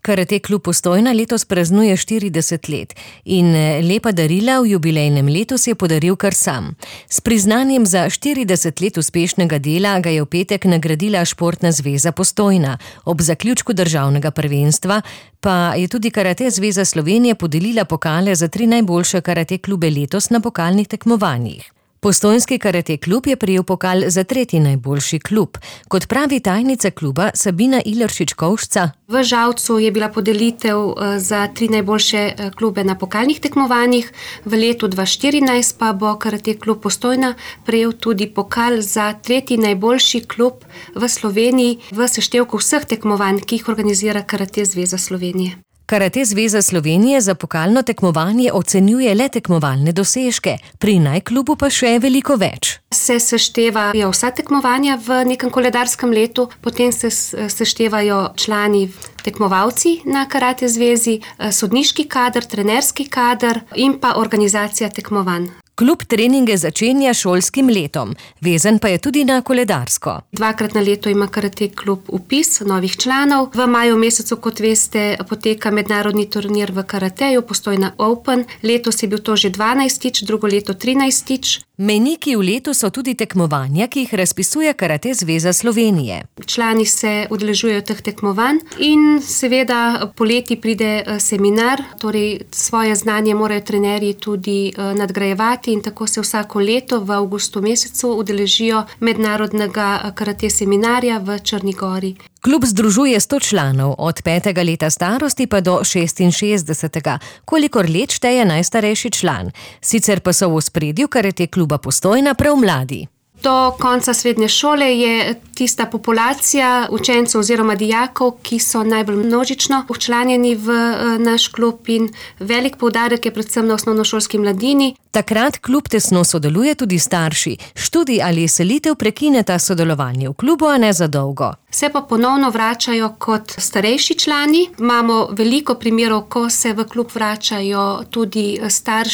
Karate klub Postojna letos praznuje 40 let in lepa darila v jubilejnem letu si je podaril kar sam. S priznanjem za 40 let uspešnega dela ga je v petek nagradila Športna zveza Postojna. Ob zaključku državnega prvenstva pa je tudi Karate zveza Slovenije podelila pokale za 3 najboljše karate klube letos na pokalnih tekmovanjih. Postojnski karate klub je prejel pokal za 3. najboljši klub. Kot pravi tajnica kluba Sabina Ileršič-Kovšca: v Žalcu je bila podelitev za 3 najboljše klube na pokalnih tekmovanjih, v letu 2014 pa bo Karate klub Postojna prejel tudi pokal za 3. najboljši klub v Sloveniji v seštevku vseh tekmovanj, ki jih organizira Karate zveza Slovenije. Karate zveza Slovenije za pokalno tekmovanje ocenjuje le tekmovalne dosežke, pri najklubu pa še veliko več. Se seštevajo vsa tekmovanja v nekem koledarskem letu, potem se seštevajo člani tekmovalci na Karate zvezi, sodniški kader, trenerski kader in pa organizacija tekmovanj. Klub treninge začenja šolskim letom, vezan pa je tudi na koledarsko. 2-krat na leto ima Karate klub vpis novih članov. V maju mesecu, kot veste, poteka mednarodni turnir v karateju Postojna Open. Letos je bil to že 12-tič, drugo leto 13-tič. Mejniki v letu so tudi tekmovanja, ki jih razpisuje Karate zveza Slovenije. Člani se udeležujejo teh tekmovanj in seveda poleti pride seminar, torej svoje znanje morajo trenerji tudi nadgrajevati in tako se vsako leto v avgustu mesecu udeležijo mednarodnega karate seminarja v Črni Gori. Klub združuje 100 članov, od 5. leta starosti pa do 66. kolikor let šteje najstarejši član. Sicer pa so v ospredju Karate kluba Postojna prav mladi. Do konca srednje šole je tista populacija učencev oziroma dijakov, ki so najbolj množično včlanjeni v naš klub in velik poudarek je predvsem na osnovnošolski mladini. Takrat klub tesno sodeluje tudi starši. Študij ali selitev prekineta sodelovanje v klubu, a ne za dolgo. Se pa ponovno vračajo kot starejši člani. Imamo veliko primerov, ko se v klub vračajo tudi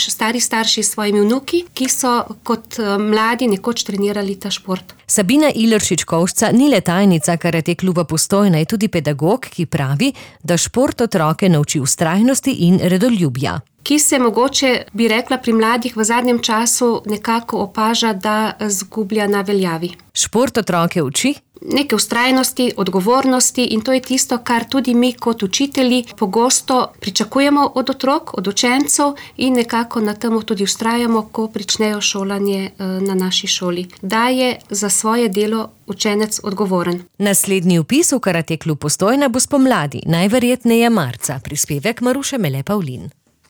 stari starši s svojimi vnuki, ki so kot mladi nekoč trenirali ta šport. Sabina Ileršič-Kovšca ni le tajnica Karate kluba Postojna, je tudi pedagog, ki pravi, da šport otroke nauči vztrajnosti in redoljubja. Ki se mogoče, bi rekla, pri mladih v zadnjem času nekako opaža, da zgublja na veljavi. Šport otroke uči neke vztrajnosti, odgovornosti in to je tisto, kar tudi mi kot učitelji pogosto pričakujemo od otrok, od učencev in nekako na temu tudi vztrajamo, ko pričnejo šolanje na naši šoli. Da je za svoje delo učenec odgovoren. Naslednji vpis v Karate klub Postojna bo spomladi, najverjetneje marca. Prispevek Maruše Mele Pavlin.